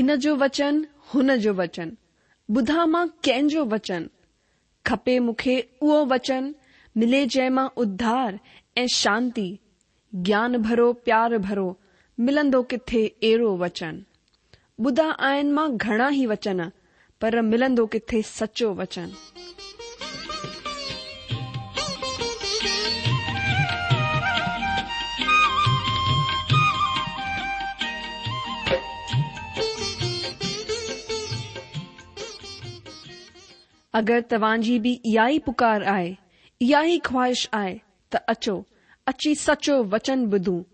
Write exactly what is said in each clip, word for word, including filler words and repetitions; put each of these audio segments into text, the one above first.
هن جو وچن، هن جو وچن، ٻڌان مان ڪنهن جو وچن؟ کپي مون کي اهو وچن، ملي جنهن مان اڌار ۽ شانتي، گيان ڀرو پيار ڀرو، ملندو ڪٿي اهڙو وچن؟ ٻڌا آهن مان گهڻا ئي وچن، پر ملندو ڪٿي سچو وچن؟ اگر توهان جي به اها ئي پڪار آهي، اها ئي خواهش آهي ته اچو، اچي سچو وچن ٻڌون،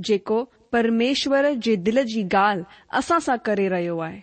جيڪو پرميشور جي دل جي ڳالهه اسان سان ڪري رهيو آهي.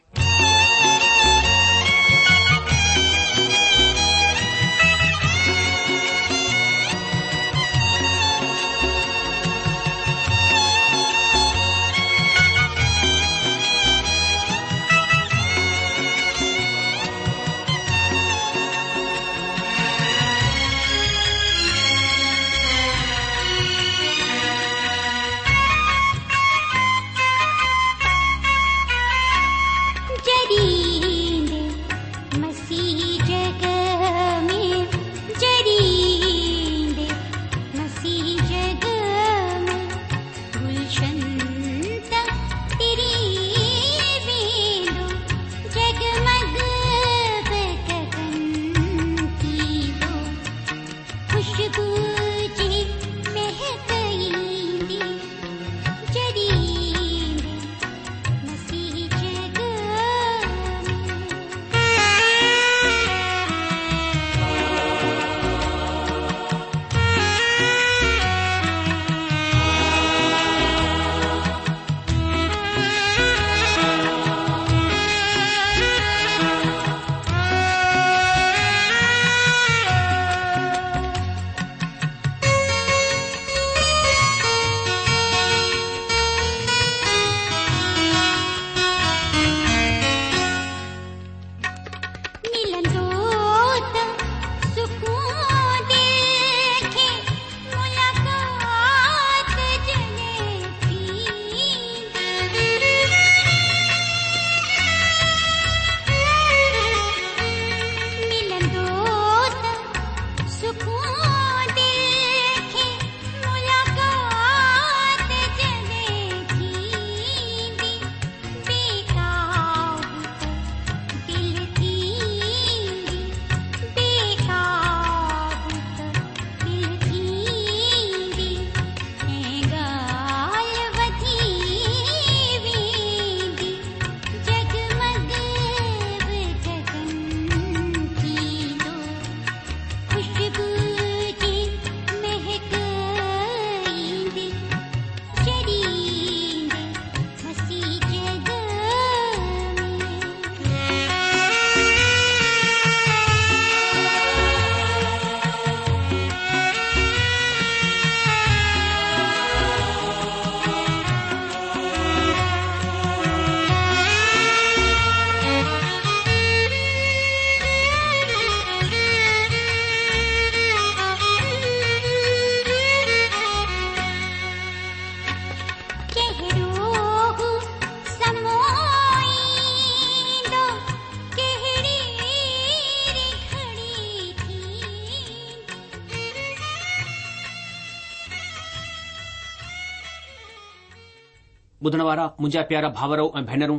ٻڌڻ وارا منهنجا پيارا ڀائرو ۽ ڀينرون،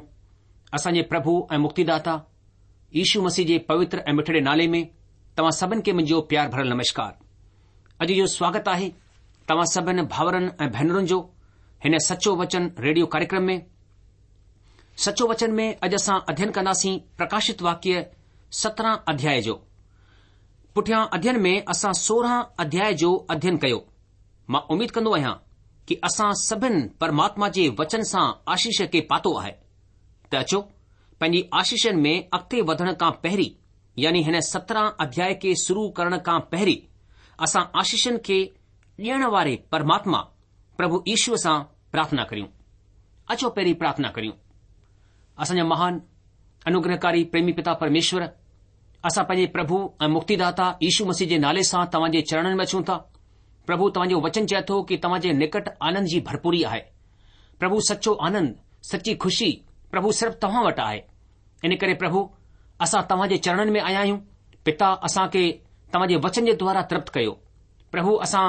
اسان جي پرڀو ۽ مڪتيداتا يشو مسيح جي پوتر ۽ مٺڙي نالي ۾ توهان سڀن کي منهنجو پيار ڀريل نمشڪار. اڄ جو سواگت آهي توهان سڀن ڀائرن ۽ ڀينرن جو هن سچو وچن ريڊيو ڪاريڪرم ۾. سچو وچن ۾ اڄ اسان اڌين ڪنداسين پرڪاشت واڪيه سترهن اڌياء جو. پٺيان اڌين ۾ اسان سورهن اڌياء جو اڌين ڪيو. مان اميد ڪندو آهيان ڪي اسان سڀن پرماتما جي وچن سان آشيش کي پاتو آهي ته اچو پنهنجي آشيشن ۾ اڳتي وڌڻ کان پهرين يعني هن سترهن اڌياء کي شروع ڪرڻ کان پهرين اسان آشيشن کي ڏيڻ واري پرماتما پرڀو يشو سان پرارٿنا ڪريون. اچو پهرين پرارٿنا ڪريون. اسان جا مهان انوگرهڪاري پريمي پتا پرميشور، اسان پنهنجي پرڀو ۽ مڪتيداتا يشو مسيح جي نالي سان توهان جي چرڻن ۾ اچون ٿا. پرڀو توهان جو وچن چئي ٿو ڪي توهان جي نڪٽ آنند جي ڀرپوري آهي. پرڀو سچو آنند، سچي خوشي پرڀو صرف توهان وٽ آهي. ان ڪري پرڀو اسان توهان جي چرڻن ۾ آيا آهيون. پتا اسان کي توهان جي وچن جي دوارا ترپت ڪيو. پرڀو اسان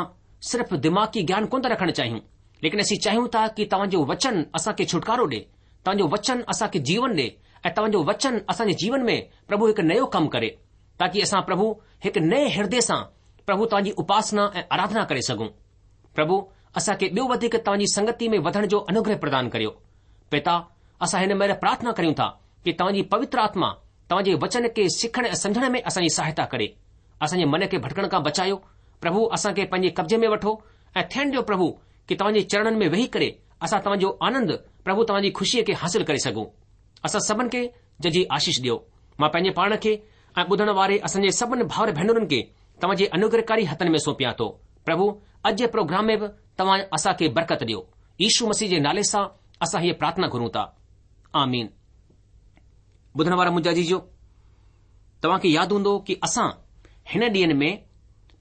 صرف دماغي گيان ڪونه ٿا رکڻ چاهيون، ليڪن اسين چاهيون ٿا ڪي توهان جو وچن اسان کي ڇوٽڪارو ڏي، توهان جو وچن اسان کي جيون ڏي ۽ توهان جو وچن اسان جي جيون ۾ پرڀو هڪ نيو ڪم ڪري، تاڪي اسان پرڀو هڪ نئين هردي سان پرڀو توهان جي اپاسنا ۽ آراڌنا ڪري سگهون. پرڀو اسان کي ٻيو وڌيڪ توهان جي سنگتي ۾ وڌڻ جو انوگره پردان ڪريو. پتا اسان هن مهل پرارٿنا ڪريون ٿا ڪي توهان جي پوتر آتما توهان جي وچن کي سکڻ ۽ سمجهڻ ۾ اسان جي سهائتا ڪري. اسان جي من کي ڀٽڪڻ کان بچايو. پرڀو اسان کي پنهنجي قبضي ۾ وٺو ۽ ٿيڻ ڏيو پرڀو ڪي توهان جي چرڻن ۾ ويهي ڪري اسان توهان جو آنند پرڀو توهان جي خوشيء کي حاصل ڪري سگهون. اسان سڀن کي ججهي آشيش ڏيو. مان پنهنجي پاڻ کي ۽ ٻڌڻ واري اسان جي سڀن ڀائر ڀينرن کي توهان جي انوگرهڪاري هٿن ۾ سونپيان ٿو. پرڀو اڄ جي پروگرام ۾ به توهان اسان کي برڪت ڏيو. يشو مسيح جي نالي سان اسان هيء پرارٿنا گهرون ٿا. آمين. ٻڌڻ وارا منهنجا عزيزو، توهان کي ياد هوندو ڪي اسان هن ڏينهن ۾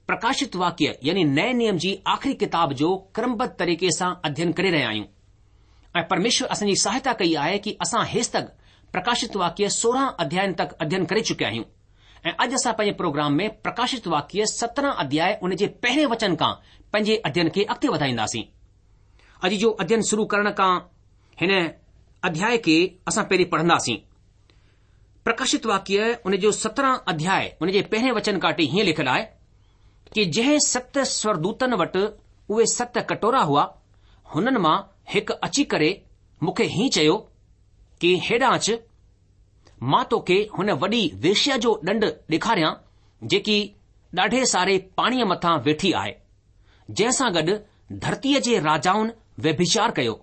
پرڪاشت واڪيه يعني نئين نيم جي آخري ڪتاب جو ڪرمبڌ طريقي سان اڌين ڪري رهيا آهيون ۽ پرميشور اسان جي سهائتا ڪئي آهي ڪي اسان هيستڪ پرڪاشت واڪيه سورهن اڌيائن تڪ اڌين ڪري چڪيا آهيون ۽ اڄ اسان پنهنجي پروگرام ۾ پرڪاشت واڪيه سترهن اڌياء ان جي پهرين وچن کان پنهنجي اڌين کي اڳتي وڌائينداسين. اڄ جو اڌين شروع ڪرڻ کان هن اڌياء کي اسان پهرين پڙهنداسين. پرڪاشت واڪيه ان جو سترهن اڌياء ان جي پهرين وچن کان وٺي هيئن لکيل آهي ڪي جنهن ست سورگدوتن وٽ اهي ست ڪٽورا هئا، هنن مان هڪ اچي ڪري مون کي هيئن چيو ڪي هيڏانهن اچ، مان توکي هن وڏي ويشيا جو ڏنڊ ڏيکاريان جيڪي ڏاڍي ساري پاڻيء مٿان ويٺي آهي، جنهن سان گڏ ڌرتيء جي راجائن ويڀچار ڪيو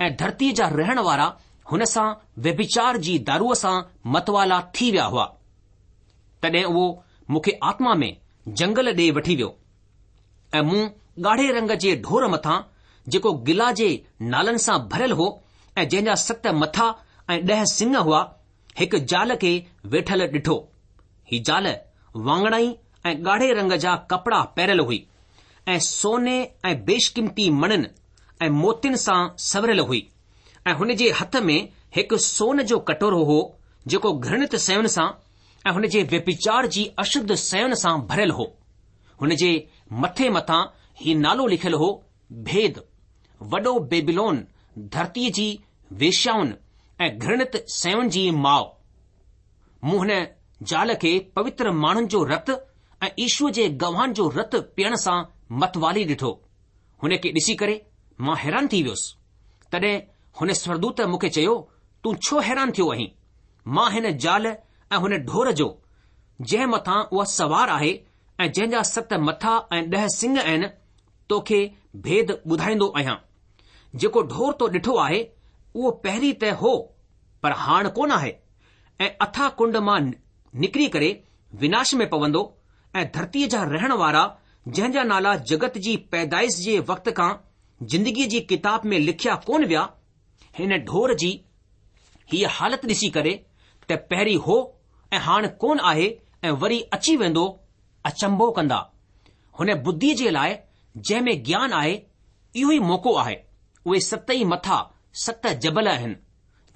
۽ ڌرتيء جا رهڻ وارا هن سان ويڀچار جي داروء سان متوالا ٿي ويا هئا. تڏهن اهو مون کي آتما ۾ جنگل ڏي وٺي ويو ۽ مون ڳاڙهي رنگ جي ڍور مٿان جيڪو گلا جي نالن سان ڀريل هو ۽ جنهن جا ست مٿا ۽ ڏهه سڱ هئا، هڪ زال کي ويٺل ڏٺو. هي زال واڱڻائي ۽ ڳاڙهي رنگ جا ڪپڙا پهريل هئي ۽ سوني ۽ بيشقيمتي مڻين ۽ موتين سان سنوريل هئي ۽ هن جي هٿ ۾ هڪ سون جو ڪٽورو هو جيڪو گهرڻت شين سان ۽ هن جي ويڀچار جي اشڌ شين سان ڀريل هو. هن جي مٿي مٿان هي نالو لکيل هو، ڀيد، وڏو بيبيلون، ڌرتيء جي ويشيائن ۽ گهرڻت شين جي ماء. مون هن زال کي پوتر ماڻهن جو رت ۽ يشوء جي گواهن جو رت پيئڻ سان متوالي ڏٺو. هن کي ڏسي ڪري مان حيران ٿي ويس. تڏهن هن سورگدوت مون کي چيو، تون ڇو حيران ٿيو آهين؟ مان هن زال ۽ هن ڍور جو، جنهن مٿان اها سوار آهي ۽ جنهن جا ست مٿا ۽ ڏهه سڱ آهن، توکي ڀيد ٻڌائيندو آهيان. جيڪو ڍور تو ڏٺو آهي، اهو پهرين ته هو، پر هاڻ ڪونه آهي ۽ اٿاهه ڪنڊ مان نڪري ڪري وناش ۾ پوندو ۽ ڌرتيء جا رهڻ وارا جنهن جا نالا جڳت جي پيدائش جي وقت کان زندگيء جي ڪتاب ۾ لکيا ڪونه ويا، هن ڍور جي هيء حالت ڏسي ڪري ته پهرين هو ۽ هاڻ ڪونه آهي ۽ وري اچي ويندو، اچنڀو ڪندا. هن ٻڌيء جي لاء جنهن ۾ گيان آهي، اهو ئي موقعو آهي. اهي ست ئي مٿا ست جبل آهن،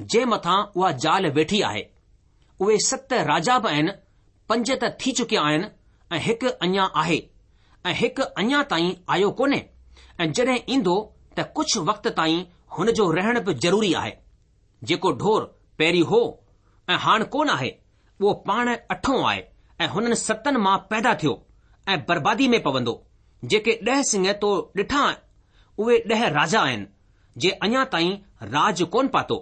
جنهن مٿان اها زال ويٺي آهي. اهي ست راجا به آهن، پنج ته ٿي چڪيا آهن ۽ هڪ اڃا آهي ۽ هڪ اڃا تائين آيو ڪونهي ۽ جڏهن ايندو ته ڪجهه وقت تائين هن جو رهڻ به ضروري آهي. جيڪو ڍور پهرين هو ۽ هاڻ ڪونه آهي، اهو پاڻ اٺون آهي ۽ هنن ستن مان پيدا ٿيو ۽ بربادي ۾ پوندو. جيڪي ڏهه سڱ تو ڏٺا، اهي ڏهه راجا آهن، جي اڃا تائين راڄ ڪونه پاتو،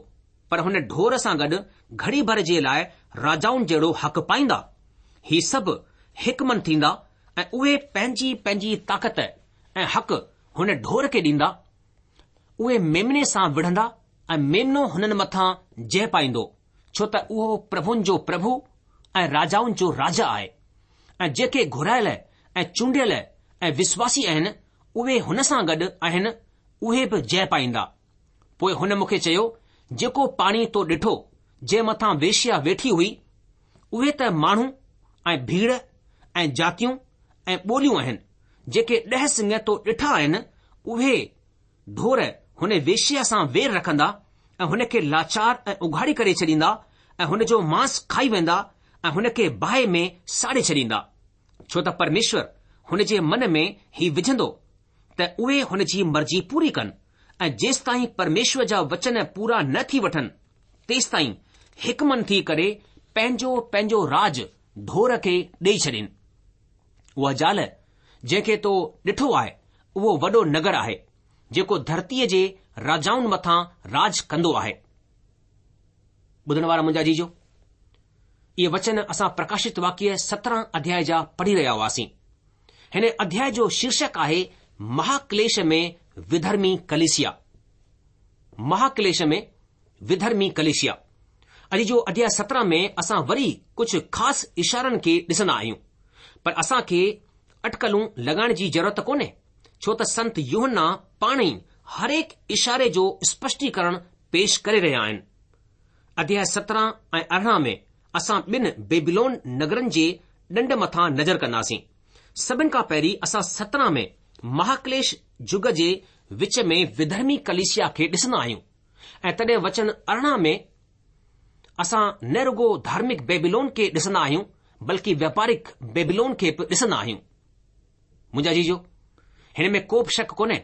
پر هن ڍور سان گڏ گهڙي ڀر جي لاء راجائن جهڙو حق پائيندا. هي سڀ هڪ من ٿيندا ۽ اهي پنهنجي پنهنجي طاقت ۽ حق هن ڍور کي ڏيندا. اهي ميمني سان وڙهندا ۽ ميمنو هنن مٿان جئه پائيندو، ڇو ته اهو پرڀن جو پرڀو ۽ راجائن جو راجا آهي ۽ جيڪي گهرايل ۽ چونڊيل ۽ وشواسي آهن، اهي هن سان گڏ آهن، اهي به جئه پائيندا. پوء هن مون کي چيو، جيڪو پاڻي تو ڏٺو، جنهن مٿان ويشيا ويٺي هئي، اهي ته ماڻهو ۽ ڀيڙ ۽ جاتيون ۽ ٻوليون آهن، جيڪي ڏهه سڱ تو ڏٺا آهن، اهي ڍور هن ويشيا سان وير رکندا ۽ هن کي لاچار ۽ اگهاڙي ڪري ڇڏيندا ۽ هن جو مانس کائي ويندا ۽ هن کي باهه ۾ ساڙي ڇڏيندا، ڇو ته پرميشور هن جي من ۾ هي وجهندو ته اهي هن جي مرضي پوري ڪن ۽ جيستائين پرميشور جا وچن پورا نه ٿي وٺن، تيستائين هڪ من ٿي ڪري پنهنجو پنهنجو راڄ ڍور کي ڏيئي ڇڏين. اها زال جنهن کي تو ڏٺو آهي، اهو وڏو نگر آهي، جيڪو ڌرتيء جي راجائن مٿان راڄ ڪندو آهي. ٻڌڻ وارا منهنجا عزيزو، اهي وچن اسان پرڪاشت واڪيه سترهن اڌياء جا پڙهي رهيا هئاسين. هن اڌياء جو شيرشڪ آهي مهاڪليش ۾ وڌرمي ڪليسيا. مهاڪليش ۾ وڌرمي ڪليسيا. عزيزو اڌياء سترهن ۾ اسان وري ڪجهه خاص اشارن کي ڏسندا آهيون. پر اسان کي اٽڪلون لڳائڻ جي ضرورت ڪونهي، ڇو ته سنت يوحنا پاڻ ئي هرهڪ اشاري جو اسپشٽيڪرڻ پيش ڪري رهيا آهن. اڌياء سترهن ۽ ارڙهن ۾ اسان ٻن بيبيلون نگرن جي ڏنڊ مٿان نظر ڪنداسين. سڀن کان پهرين اسان سترهن ۾ مهاڪليش جگ جي وچ ۾ وڌرمي ڪليسيا کي ڏسندا آهيون ۽ تڏهن وچن ارڙهن ۾ اسان نه رڳو ڌارمڪ بيبيلون کي ڏسندا آهيون بلڪه وياپارڪ بيبيلون کي به ڏسندا آهيون. منهنجا عزيزو، هن ۾ ڪو به شڪ ڪونهي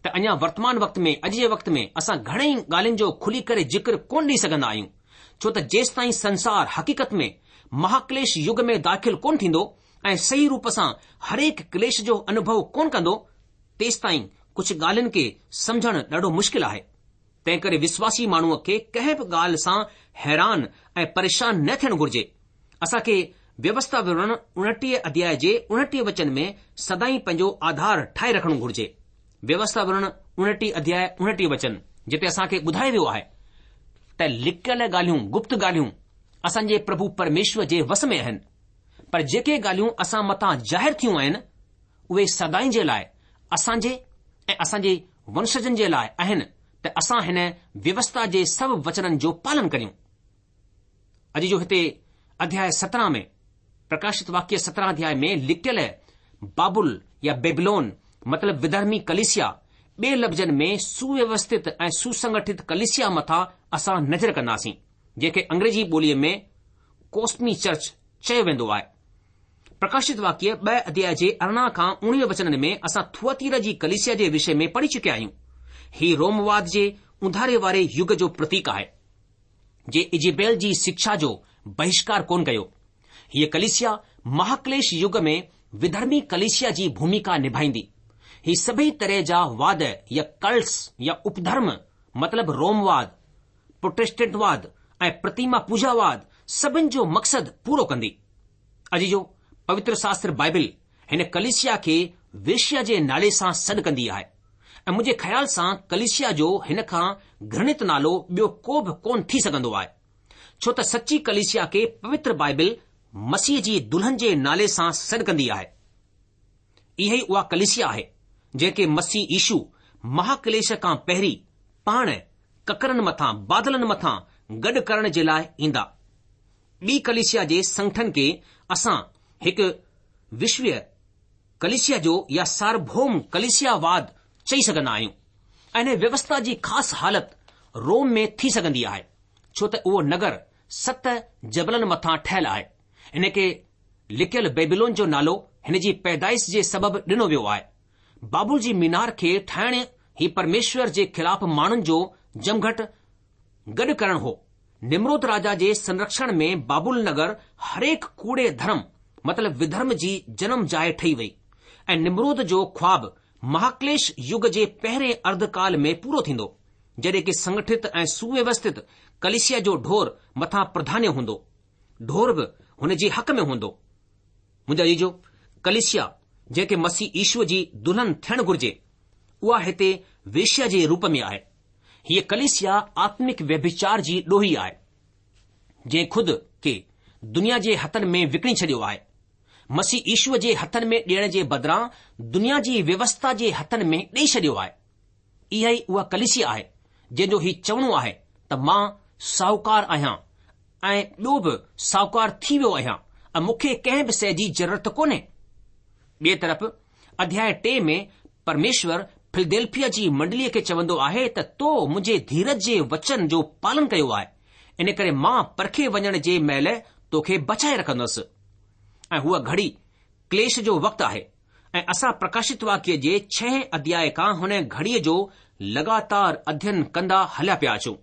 ته اڃا ورتمان وقت ۾ اڄ جي وقت ۾ اسان گهڻئي ڳالهين جو کلي ڪري ذڪر ڪونه ڏئي سگهندا آهيون ڇو ته جيستائين سنسار حقيقت ۾ مهاڪليش يگ ۾ داخل ڪونه ٿيندو ۽ صحيح روپ سان هرهڪ ڪليش جو انوڀو ڪونه ڪندو تيستائين ڪجهه ڳالهين کي سمجهڻ ڏاڍو مشڪل آهي. تنهنڪري وشواسي ماڻهوء کي ڪنهن به ڳالهه سان حيران ۽ پريشان نه ٿيڻ گهرجي. اسان کي ويوسٿا وورڻ اڻٽيهه اڌياء جي اڻٽيهه وچن ۾ سدائين پنهنجو آڌار ٺاهي رکڻو گهرجي. ويوسٿا وورڻ اڻٽيهه اڌياء اڻٽيهه وچن جتي اسان کي ٻڌايو ويو آهي ته لڪيل ڳالهيون، گپت ڳالهيون، اسان جي پرڀو پرميشور جي وس ۾ آهن، پر جيڪي ڳالهيون اسان مٿان ظاهر ٿيون آهن، اهي سدائين جي لاء اسان جي ۽ اسان جي ونشجن جي لاء آهن ته اسان هن ويوسٿا جي سڀ وچنن جو پالن ڪريون. عزيزو هتي اڌياء سترهن ۾ پرڪاشت واڪيه سترهن اڌياء ۾ لڪيل بابل يا بيبلون مطلب وڌرمي ڪليسيا ٻئي لفظن ۾ سوويوسٿت ۽ سوسنگٺت ڪليسيا مٿان اسان نظر ڪنداسين جنهن کي انگريزي ٻوليء ۾ ڪوسمي چرچ چيو ويندو آهي. پرڪاشت واڪيه ٻه اڌياء جي ارڙهن کان اڻويهه وچنن ۾ اسان ٿوئاتيرا جي ڪليسيا جي وشي ۾ پڙهي چڪيا آهيون. هي رومواد جي اونڌاري واري يگ جو پرتيڪ آهي. جنهن ايزيبيل جي شڪشا جو بهشڪار ڪونه ڪيو. هيء ڪليسيا مهاڪليش يگ ۾ وڌرمي ڪليسيا جي ڀوميڪا نڀائيندي. هي سڀئي طرح جا واد يا ڪلٽس يا اپڌرم مطلب رومواد، پروٽيسٽنٽواد ۽ پرتيما پوجاواد سڀن جو مقصد پورو ڪندي. عزيزو، پوتر شاستر بائبل هن ڪليسيا کي ويشيا جي نالي سان سڏ ڪندي آهي ۽ منهنجي خيال سان ڪليسيا جو هن کان گهرڻت نالو ٻيو ڪو به ڪونه ٿي سگهندو آهي. ڇو ته سچي ڪليسيا کي پوتر بائبل مسيح جي دلهن جي نالي سان سڏ ڪندي آهي. اها ئي اها ڪليسيا آهي جنهن کي مسيح يشو مهاڪليش کان پهرين پاڻ ڪڪرن مٿان، بادلن مٿان، گڏ ڪرڻ جي لاء ايندا. ٻي ڪليسيا جي سنگٺن کي اسان هڪ وشويه ڪليسيا جو يا سارڀوم ڪليسياواد چئي سگهندا آهيون ۽ هن ويوسٿا جي خاص حالت روم ۾ ٿي سگهندي آهي ڇو ته اهو نگر ست جبلن مٿان ٺهيل آهي. هن کي لڪيل بيبيلون جو نالو هن جي پيدائش جي سبب ڏنو ويو آهي. بابل جي مينار کي ٺاهڻ هي پرميشور جي خلاف ماڻهن جو جمگهٽ گڏ ڪرڻ هو. نمرود راجا جي سنرڪشڻ ۾ بابل نگر هرهڪ ڪوڙي ڌرم مطلب وڌرم جي جنم جاء ٺهي وئي ۽ نمرود جو خواب مهاڪليش يگ جي پهرين ارڌڪال ۾ پورو ٿيندو جڏهن ڪي سنگٺت ۽ سوويوسٿت ڪليسيا جو ڍور مٿان پرڌانيه هوندو. ڍور به هن جي حق ۾ هوندو. منهنجا عزيزو، ڪليسيا جنهن کي مسيح يشوء جي دلهن ٿيڻ گهرجي، اها هتي ويشيا جي روپ ۾ آهي. هيء ڪليسيا آتمڪ ويڀچار جي ڏوهي آهي، جنهن خود کي دنيا جي هٿن ۾ وڪڻي ڇڏيو آهي. مسيح يشوء جي هٿن ۾ ڏيڻ جي بدران دنيا جي ويوسٿا جي هٿن ۾ ڏيئي ڇڏيو آهي. اها ئي اها ڪليسيا آهي، جنهن جو هي چوڻو آهي ته مان ساهوڪار آهيان ۽ ٻيو به ساهوڪار ٿي ويو آهيان ۽ مون کي ڪنهن به شيء جي ضرورت ڪونهي. ٻئي طرف اڌياء ٽي ۾ پرميشور فلديلفيا جي منڊليء کي چوندو آهي ته تو منهنجي ڌيرج جي وچن جو پالن ڪيو آهي، ان ڪري مان پرکي وڃڻ جي مهل توکي بچائي رکندس. ۽ هوء گهڙي ڪليش جو وقت آهي ۽ اسان پرڪاشت واڪيه جي ڇهين اڌياء کان هن گهڙيء جو لڳاتار اڌين ڪندا هليا پيا اچون.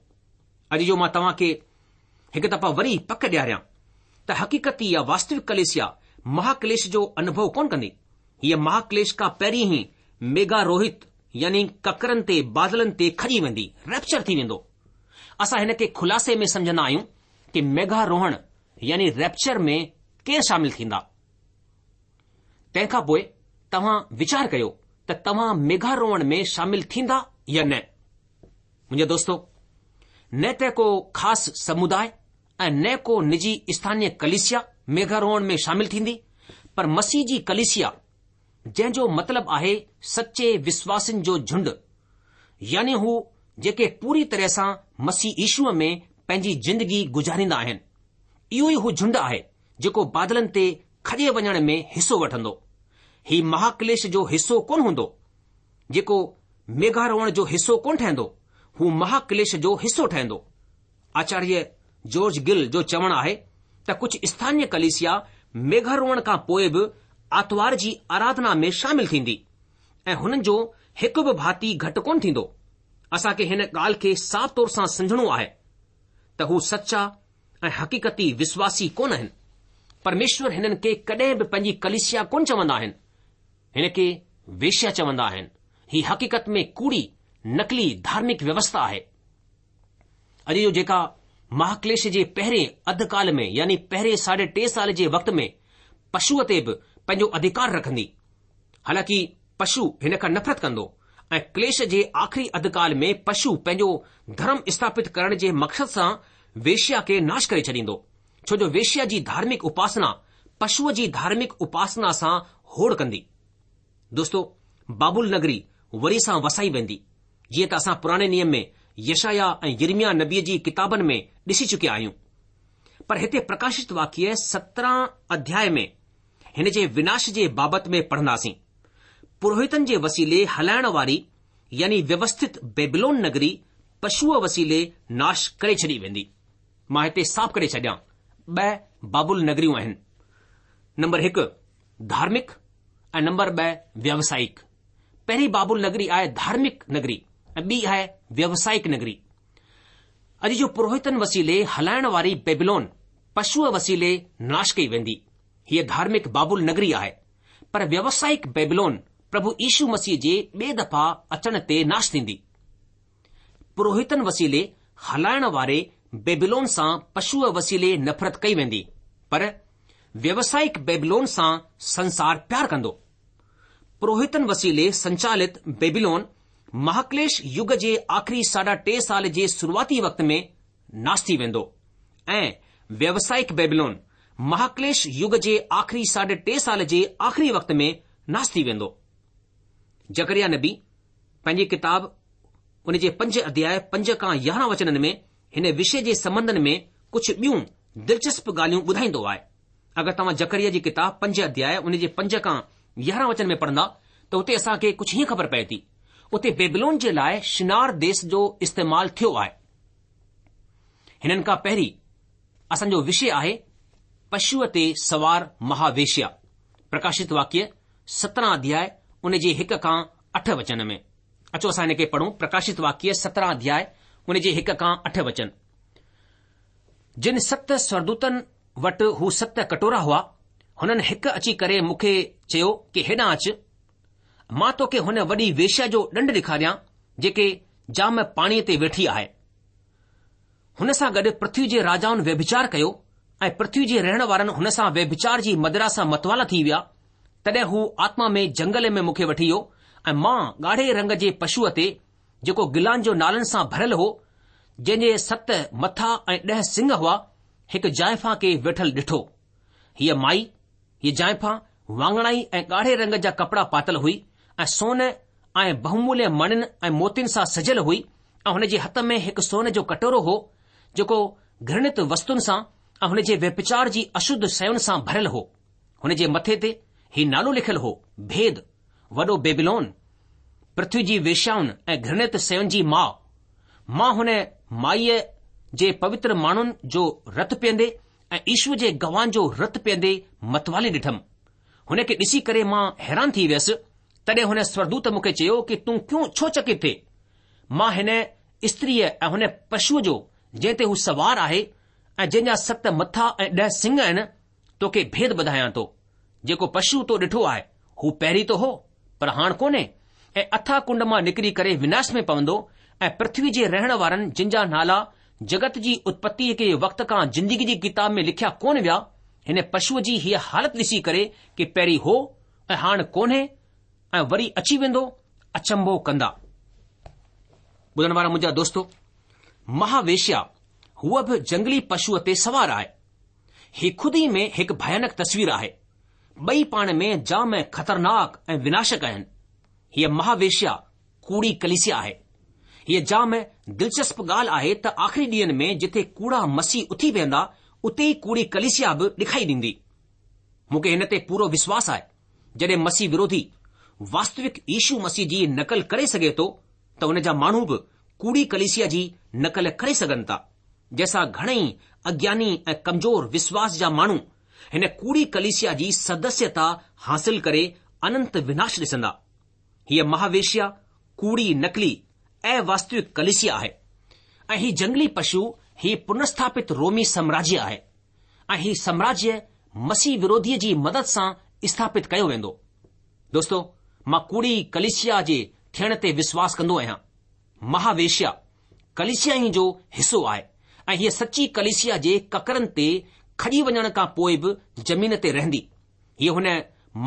اڄ جو مان توهان کي هڪ دفعا وري پڪ ڏياريان ته حقيقتي يا واستوڪ ڪليسيا مهاڪليش جو انوڀو ڪونه ڪندي. هيء مهاڪليش کان پهرين ئي ميگهاروهت يعني ڪڪرن تي بادلن تي کڄي ويندي، ريپچر ٿي ويندو. اسان هن کي خلاصي ۾ سمجهندا آهيون ڪي ميگهاروهڻ يعني ريپچر ۾ ڪير شامل ٿيندا. تنهن کان پوء توهان ويچار ڪيو ته توهان ميگهاروهڻ ۾ شامل ٿيندا يا نه. منهنجا دوستو، نه ته ڪو خاص سموداء ۽ نه ڪو نجي اسٿانيه ڪليسيا ميگهاروهڻ ۾ شامل ٿيندي، پر مسيح جي ڪليسيا، جنهن جو مطلب آهي سچي وشواسين جو جهنڊ، يعني هو جيڪي پوري طرح سان مسيح يشوء ۾ پنهنجي زندگي گذاريندا آهن. اهو ئي هو جهنڊ آهي جيڪو بادلن تي کڄي وڃڻ ۾ حصو وٺندو. هي مهاڪليش جو حصو ڪونه هوندو، جيڪو ميگهاروهڻ جو حصو ڪونه ٺهندو، هو مهاڪليش جو حصو ٺهندو. آچاريه جارج گل جو چوڻ آهي ته ڪجهه اسٿانيه ڪليسيا ميگهاروهڻ کان پوء به آتوار جي آراڌنا ۾ شامل ٿيندي ۽ هنن جو هڪ به ڀاتي گهٽ ڪونه ٿيندو. اسان کي هن ڳالهه کي صاف طور سان سمجهڻو آهي ته هو سچا ۽ حقيقتي وشواسي ڪونه آهن. پرميشور هنن کي ڪڏهن به پنهنجي ڪليسيا ڪونه چوندا آهن. هن کي ويشيا چوندا آهن. هي حقيقت ۾ ڪوڙي، نقلي ڌارمڪ ويوسٿا آهي. اڄ جو جيڪا مهاڪليش جي پهرين اڌ ڪال ۾ يعني پهرين ساڍي ٽي سال جي وقت ۾ پشوء تي به پنهنجو اڌڪار رکندي. حالانڪه پشو هن کان نفرت ڪندو ۽ ڪليش جي آخري اڌ ڪال ۾ پشو پنهنجو ڌرم اسٿاپت ڪرڻ جي مقصد سان ويشيا کي ناش ڪري ڇڏيندو، ڇو جو ويشيا جي ڌارمڪ اپاسنا پشوء جي ڌارمڪ اپاسنا سان هوڙ ڪندي. دوستو، بابل نگري وري سان وسائي ويندي، جيئن ته اسان پراڻي نيم ۾ يشعيا ۽ يرمياه نبيء جي ڪتابن ۾ ڏسي چڪيا آهيون. پر هتي پرڪاشت واڪيه سترهن اڌياء ۾ هن جي وناش جي بابت ۾ پڙهنداسين. پروهتن جي وسيلي هلائڻ واري يعني ويوسٿت بيبلون نگري پشوء وسيلي ناش ڪري ڇڏي ويندي. مان هتي صاف ڪري ڇڏيان، ٻه بابل نگريون آهن. نمبر هڪ ڌارمڪ ۽ نمبر ٻه ويوسائڪ. پهرين بابل نگري آهي ڌارمڪ نگري ۽ ٻي آهي ويوسائڪ نگري. اڄ جو پروهتن وسيلي هلائڻ واري بيبلون پشوء وسيلي ناش ڪئي ويندي. هيء ڌارمڪ بابل نگري آهي، پر ويوسائڪ بيبلون پرڀو يشو مسيح جي ٻئي دفعا اچڻ تي ناش ٿيندي. پروهتن وسيلي هلائڻ واري بيبلون سان پشوء وسيلي نفرت ڪئي ويندي، پر ويوسائڪ بيبلون سان سنسار پيار ڪندو. پروهتن وسيلي سنچالت بيبلون مهاڪليش يگ جي آخري ساڍا ٽي سال جي شروعاتي وقت ۾ ناش ٿي ويندو ۽ ويوسائڪ بيبلون مهاڪليش يگ جي آخري ساڍي ٽي سال جي آخري وقت ۾ ناش ٿي ويندو. زڪريا نبي پنهنجي ڪتاب ان جي پنج اڌياء پنج کان يارهن وچنن ۾ هن وشي جي سنٻنڌن ۾ ڪجهه ٻيون دلچسپ ڳالهيون ٻڌائيندو آهي. اگر توهان زڪريا جي ڪتاب پنج اڌياء ان جي پنج کان يارهن وچن ۾ پڙهندا ته اتي اسان کي ڪجهه هيئن خبر پئي ٿي. اتي بيبلون جي لاء شنار ديس جو استعمال ٿيو آهي. هنن کان پهرين اسان جو وشي آهي پشوء تي سوار مهاويشيا. پرڪاشت واڪيه سترهن اڌياء ان جي هڪ کان اٺ وچن ۾. اچو اسان هن کي پڙهون پرڪاشت واڪيه سترهن اڌياء ان جي هڪ کان اٺ وچن. جن ست سورگدوتن وٽ هو ست ڪٽورا هئا، هنن هڪ اچي ڪري مون کي چيو ڪي هيڏانهن اچ، مان توکي هن وڏي ويشيا جو ڏنڊ ڏيکاريان جيڪي جام پاڻيء تي ويٺي آهي. هن سان گڏ پرٿوي جي راجائن ويڀچار ڪيو ۽ پرٿوي جي رهڻ وارن هن سان ويڀچار جي مدرا سان متوالا ٿي ويا. تڏهن هو آتما ۾ جنگل ۾ مون کي وٺي ويو ۽ مان ڳاڙهي رنگ جي پشوء تي، جيڪو گلان جو نالن سان ڀريل هو، جنهن جي ست مٿا ۽ ڏهه سڱ هئا، هڪ زائفان کي ويٺل ڏٺو. هيء مائي، هيء زائفان واڱڻائي ۽ ڳاڙهي رنگ جا ڪپڙا پاتل هئي ۽ سون ۽ بهوموليه مڻين ۽ موتين سان سجيل هئي ۽ هن جي هٿ ۾ هڪ سون جو ڪٽورو هو، جيڪو گهرڻت وستن سان ۽ هن جي ويڀچار جي اشڌ شين سان ڀريل هو. هن جي مٿي تي هي نالو لکيل هو، ڀيد، وڏو بيبلون، پرٿوي جي ويشيائن ۽ گهرڻت شين جي ماء. مان هن مائيء جي پوتر ماڻهن جو رت پيئندي ۽ يشوء جي گواهن جو رت پيئندي متوالي ڏٺم. هن کي ڏسي ڪري مان حيران ٿي ويس. تڏهن هن سورگدوت مون کي چيو ڪي تون ڪيون ڇو چڪت ٿئي؟ مان هن استريء ۽ هن پشوء جو جنهن تي هو سوار آهي ۽ جنهن جا ست مٿا ۽ ڏهه سڱ آهن، توکي ڀيد ٻڌايان ٿو. جيڪو پشو تو ڏٺو آهي، هو پهرين ته هو، پر هاڻ ڪونهي ۽ اٿاهه ڪنڊ مان نڪري ڪري وناش ۾ پوندو ۽ پرٿوي جي رهڻ وارن جن جا نالا جڳت جي اتپتيء کي وقت کان زندگي جي ڪتاب ۾ لکيا ڪونه ويا، هن پشوء جي هيء حالت ڏسي ڪري ڪي پهرين هو ۽ هاڻ ڪونهي ۽ وري اچي ويندو، اچنڀو ڪندا. ٻڌڻ وارا منهنجا دوستو! مها ويشيا هوء به جنگلي پشوء تي سوار آهي. هي خود ئي ۾ هڪ ڀيانڪ تصوير آهي. ٻئي پاڻ ۾ جام خطرناڪ ۽ وناشڪ آهن. هيء مها ويشيا ڪوڙي ڪليسيا آهي. هيء جام دلچسپ ڳالهه آهي ته آخري ڏينهن ۾ جٿي ڪوڙا مسيح اٿي بيهندا اتي ئي ڪوڙي ڪليسيا به ڏکائي ڏيندي. مون کي هن تي پورو وشواس آهي جڏهن مسيح وروڌي واستوڪ يشو مسيح جي نقل ڪري سگهي ٿو ته ان جا ماڻهو به ڪوڙي ڪليسيا جي نقل ڪري سگهن ٿا، جنهن سان گهڻئي اگياني ۽ ڪمزور وشواس جا ماڻهو هن ڪوڙي ڪليسيا جي سدسيتا حاصل ڪري اننت وناش ڏسندا. هيء مهاويشيا ڪوڙي نقلي اواستوڪ ڪليسيا آهي ۽ هي جنگلي پشو هي پنرسٿاپت رومي سامراجيه آهي ۽ هي سامراجيه مسيح وروڌيء جي مدد سان اسٿاپت ڪيو ويندو. دوستو، مان ڪوڙي ڪليسيا جي ٿيڻ تي وشواس ڪندو آهيان. مهاويشيا ڪليسيا ئي جو حصو آهي ۽ هيء سچي ڪليسيا جي ڪڪرن تي کڄي وڃڻ کان پوء به زمين تي رهندي. هيء هن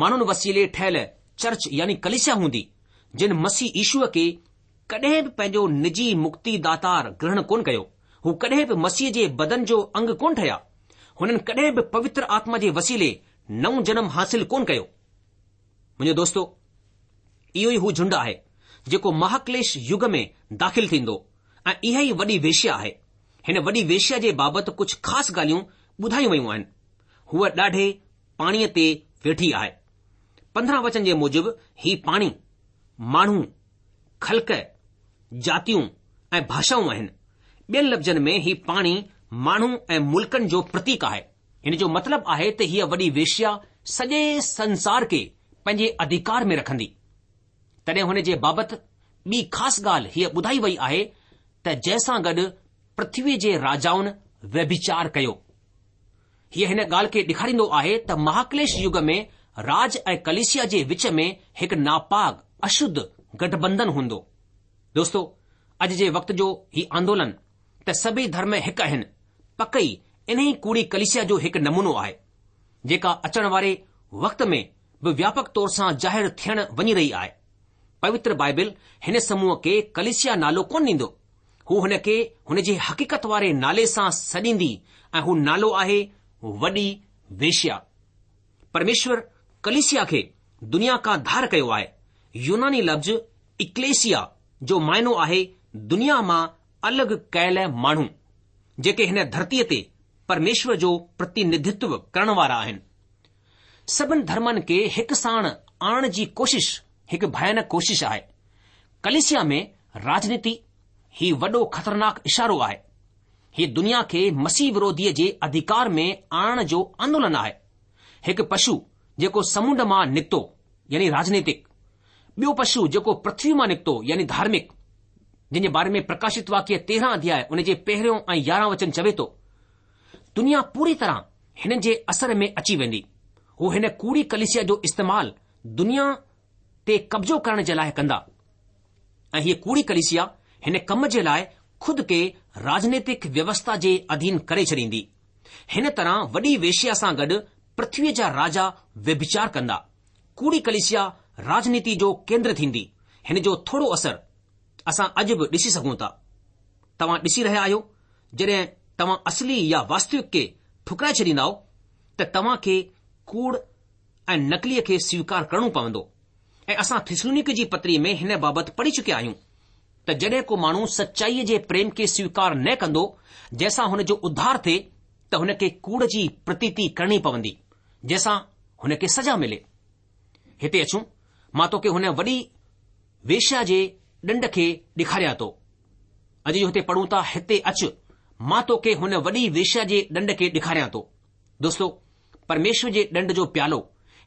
ماڻهن وسيلي ٺهيل چرچ يعني ڪليسيا هوندي، جن مسيح يشوء کي ڪڏهن به پنهنجو نجي مڪتي داتار گرهڻ ڪونه ڪيو. هو ڪڏهن به مسيح جي بدن جو انگ ڪونه ٺهيا. هنن ڪڏهن به پوتر آتما جي وسيلي نئون جنم حاصل ڪونه ڪيو. منهنجو دوستو، اهو ئي هو جهنڊ آهي، جيڪو مهاڪليش يگ ۾ داخل ٿيندو ۽ اها ئي وڏي ويشيا آهي. هن وڏي ويشيا جي بابت ڪجهه خاص ڳالهيون ٻڌايون ويون آهن. هوء ڏاڍي پاڻيء تي ويٺي آهي. پندرهن وچن جي موجب هي پاڻي، ماڻهو، خلق، جاتيون ۽ ڀاشائون آهن. ٻين لفظن ۾ هي پاڻي ماڻهو ۽ ملڪن جو پرتيڪ آهي. هن جو مطلب آهي ته هيء وڏي ويشيا سڄي سنسار کي پنهنجي اڌيڪار ۾ رکندي. تڏهن هن جي بابت ٻي خاص ڳالهه هيء ٻڌائي وئي آهي ته جنهن سان گڏ پرٿويء جي راجائن ويڀچار ڪيو. هيء هن ڳالهه کي ڏيکاريندو آهي ته مهاڪليش يگ ۾ راج ۽ ڪليسيا جي وچ ۾ هڪ ناپاڪ، اشڌ، گٺبنڌن هوندو. دوستو، اڄ جي وقت جو هي آندولن ته سڀئي ڌرم هڪ آهن، پڪ ئي انهي ڪوڙي ڪليسيا جو هڪ نمونو آهي، جيڪا اچڻ واري وقت ۾ به وياپڪ طور سان ظاهر ٿيڻ وڃي رهي آهي. پوتر بائبل هن سموهه کي ڪليسيا نالو ڪونه ڏيندو. هو هن کي هن جي حقيقت واري نالي سان سڏيندي ۽ هو نالو آهي وڏي ويشيا. پرميشور ڪليسيا کي دنيا کان ڌار ڪيو آهي. يوناني لفظ اڪليسيا جو معنو آهي دنيا مان الڳ ڪيل ماڻهو، جيڪي هن ڌرتيء تي پرميشور جو پرتينڌتو ڪرڻ وارا آهن. سڀن ڌرمن کي هڪ ساڻ آڻڻ جي ڪوشش هڪ ڀيانڪ ڪوشش آهي. ڪليسيا ۾ راجنيتي، هي وڏو خطرناڪ اشارو آهي. هي دنيا کي مسيح وروڌيء جي اڌيڪار ۾ آڻڻ جو آندولن آهي. هڪ پشو جيڪو سمنڊ مان نڪتو يعني راجنيتڪ، ٻيو پشو جيڪو پرٿوي مان نڪتو يعني ڌارمڪ، جنهن جي باري ۾ پرڪاشت واڪيه تيرهن اڌياء ان جي پهريون ۽ يارهن وچن چوي ٿو، دنيا پوري طرح هنن جي اثر ۾ اچي ويندي. هو هن ڪوڙي ڪليسيا جو استعمال دنيا تي قبضو ڪرڻ جي لاء ڪندا ۽ هيء ڪوڙي ڪليسيا هن ڪم جي لاء خود کي راجنيتڪ ويوسٿا جي اڌين ڪري ڇڏيندي. هن طرح وڏي ويشيا سان گڏ پرٿويء جا راجا ويڀچار ڪندا. ڪوڙي ڪليسيا راجنيتي جو ڪيندر ٿيندي. هن جو ٿورو اثر اسان اڄ به ڏسي سگهون ٿا. توهان ڏسي رهيا آهيو جڏهن توهان اصلي يا واستوڪ کي ٺڪرائي ڇڏيندائو ته توهان کي ڪوڙ ۽ نقليء کي سويڪار ڪرڻو پوندو ۽ اسان ٿسلونيڪي جي پتري ۾ هن بابت پڙهي چڪيا آهيون ته جڏهن ڪو ماڻهو سچائيء جي پريم کي سويڪار نه ڪندو جنهن سان هن جو اڌار ٿئي ته هن کي ڪوڙ جي پرتيتي ڪرڻي پوندي جنهن سان هن کي سزا ملي. هتي اچون مان توکي هن وڏي ويشيا جي ڏنڊ کي ڏيکاريان ٿو. اڄ جو هتي پڙهون ٿا، هتي اچ، مان توکي هن وڏي ويشيا جي ڏنڊ کي ڏيکاريان ٿو. دوستو، پرميشور جي ڏنڊ جو پيالو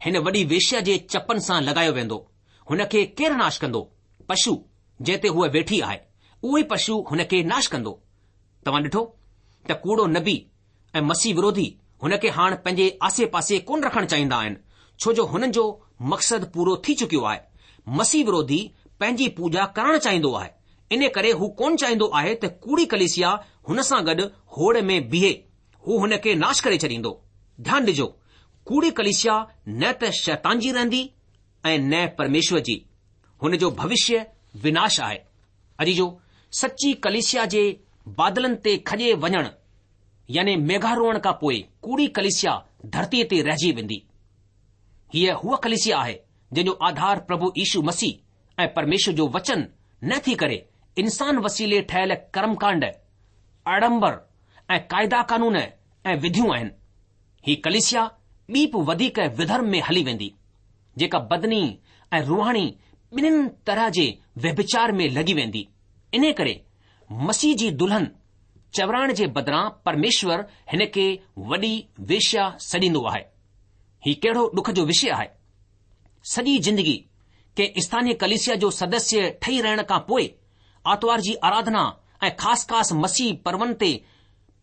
هن وڏي ويشيا جي چپن سان لڳايو ويندو. هن کي ڪير ناش ڪندو؟ پشو جنهن تي هوء ويٺي آهي، اهو ئي پشو هن کي ناش ڪندو. توهان ڏٺو ته ڪوڙو نبي ۽ مسيح وروڌي هن کي هاڻ پنهنجي آسي پاسي ڪونه رکڻ چاهيندا آهن، ڇو جو هنن جو مقصد پورو ٿي چڪيو آهي. مسيح وروڌي پنهنجي پوڄا ڪرڻ چاهيندو آهي، ان ڪري هو ڪونه چاهيندو آهي ته ڪوڙي ڪليسيا هن سان گڏ هوڙ ۾ بيهي، هو هن کي ناش ڪري ڇڏيندو. ڌيان ڏجو، ڪوڙي ڪليسيا نه ته شيطان جي رهندي ۽ نه پرميشور جي. هن جو ڀوشيه وناش آهي. عزيزو، سچي ڪليسيا جي بادلن تي کڄي وڃڻ يعني ميگهاروهڻ کان پوء ڪوڙي ڪليسيا ڌرتيء تي رهجي ويندي. هيء هوء ڪليسيا آهي جنهن جو آڌار پرڀو يشو مسيح ۽ پرميشور جو وچن نه ٿي ڪري انسان وسيلي ٺهيل ڪرمڪانڊ، آڏمبر ۽ قاعدا قانون ۽ وڌيون آهن. هي ڪليسيا ٻي به وڌيڪ وڌرم ۾ هلي ويندي، جيڪا بدني ۽ روحاني ٻنهين طرح جي ويڀچار ۾ لڳي ويندي. انهيء ڪري مسيح جي دلهن چورائڻ جي بدران پرميشور هن کي وڏي ويشيا سڏيندو آهي. هي ڪهڙو ڏک جو وشي آهي. سڄي زندگي ڪنهن اسٿانيه ڪليسيا جو سدسيه ٺهي رهڻ کان پوء آتوار جي آراڌنا ۽ خاص خاص مسيح پرون تي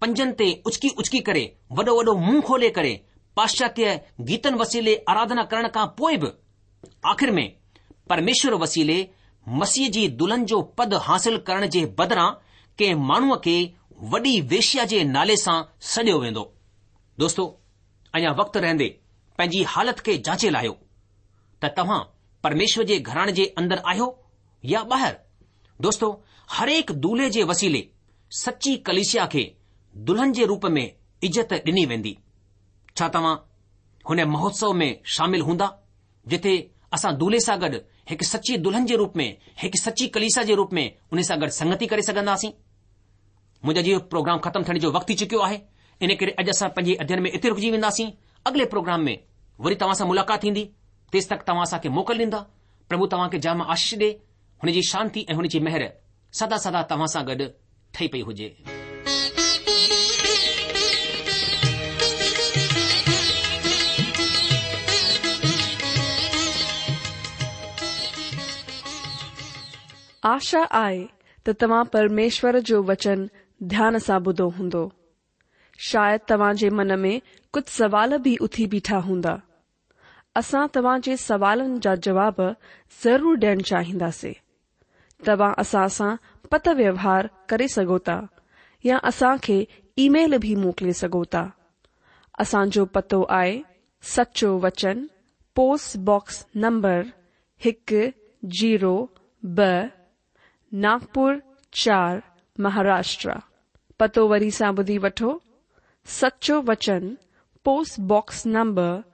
پنجن تي اچڪي اچڪي ڪري وڏو وڏو منهن کولي ڪري پاشچاتيه گيتن وسيلي آراڌنا ڪرڻ کان پوء به آخر ۾ پرميشور وسيلي مسيح جي دلهن جو پد حاصل ڪرڻ جي بدران ڪنهن ماڻهوء کي وڏي ويشيا جي نالي سان سڏيو ويندو. دوستو، اڃا وقت رهندي پنهنجي حالت کي جانچي لاهيو ته توهان پرميشور جي گهراڻي جي اندر آهيو يا ٻاهر. دوستو، هرهڪ دولهي جي وسيلي سچي ڪليسيا کي دلهن جي روپ ۾ عزت ڏني ويندي. ڇا توهان هن مهوتسو ۾ شامل هوندا جتي اسان دولهي سان گڏ هڪ سچي دلهن جي روپ ۾ هڪ سچي ڪليسيا جي روپ ۾ ان سان گڏ سنگتي ڪري سگهنداسين؟ منهنجا جيئن پروگرام ختم ٿيڻ جو وقت ٿي چڪيو آهي، ان ڪري اڄ اسان پنهنجي اڌيين ۾ اتي رڪجي وينداسين. اڳلي پروگرام ۾ وري توهان سان ملاقات ٿيندي. تيس تڪ توهان اسان کي موڪل ڏيندا. پرڀو توهان کي جام آشيش ڏي. هن جي شانتي ۽ هن جي مهر سدا سدا توهان سان گڏ ٺهي پئي هجي. آشا آهي ته توهان پرميشور جو وچن ڌيان سان ٻڌو هوندو. شايد توهان جي من ۾ ڪجهه سوال به اٿي بيٺا هوندا. اسان توهان جي سوالن جا جواب ضرور ڏيڻ چاهينداسين. توهان اسان سان پتر ويوهار ڪري سگهو ٿا يا اسان کي اي-ميل به موڪلي سگهو ٿا. اسان جو پتو آهي سچو وچن پوسٽ باڪس نمبر هڪ زيرو ٻه ناگپور چار مهاراشٽر. پتو وري سان ٻڌي وٺو، سچو وچن post box number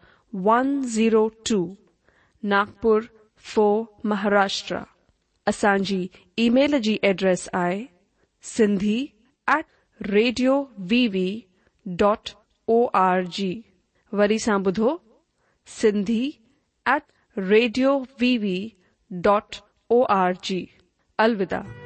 one zero two Nagpur four Maharashtra. اسان جي اي-ميل جي ايڊريس آهي Sindhi at radio V V dot O R G. وري سان ٻڌو Sindhi at radio V V dot O R G. الوداع.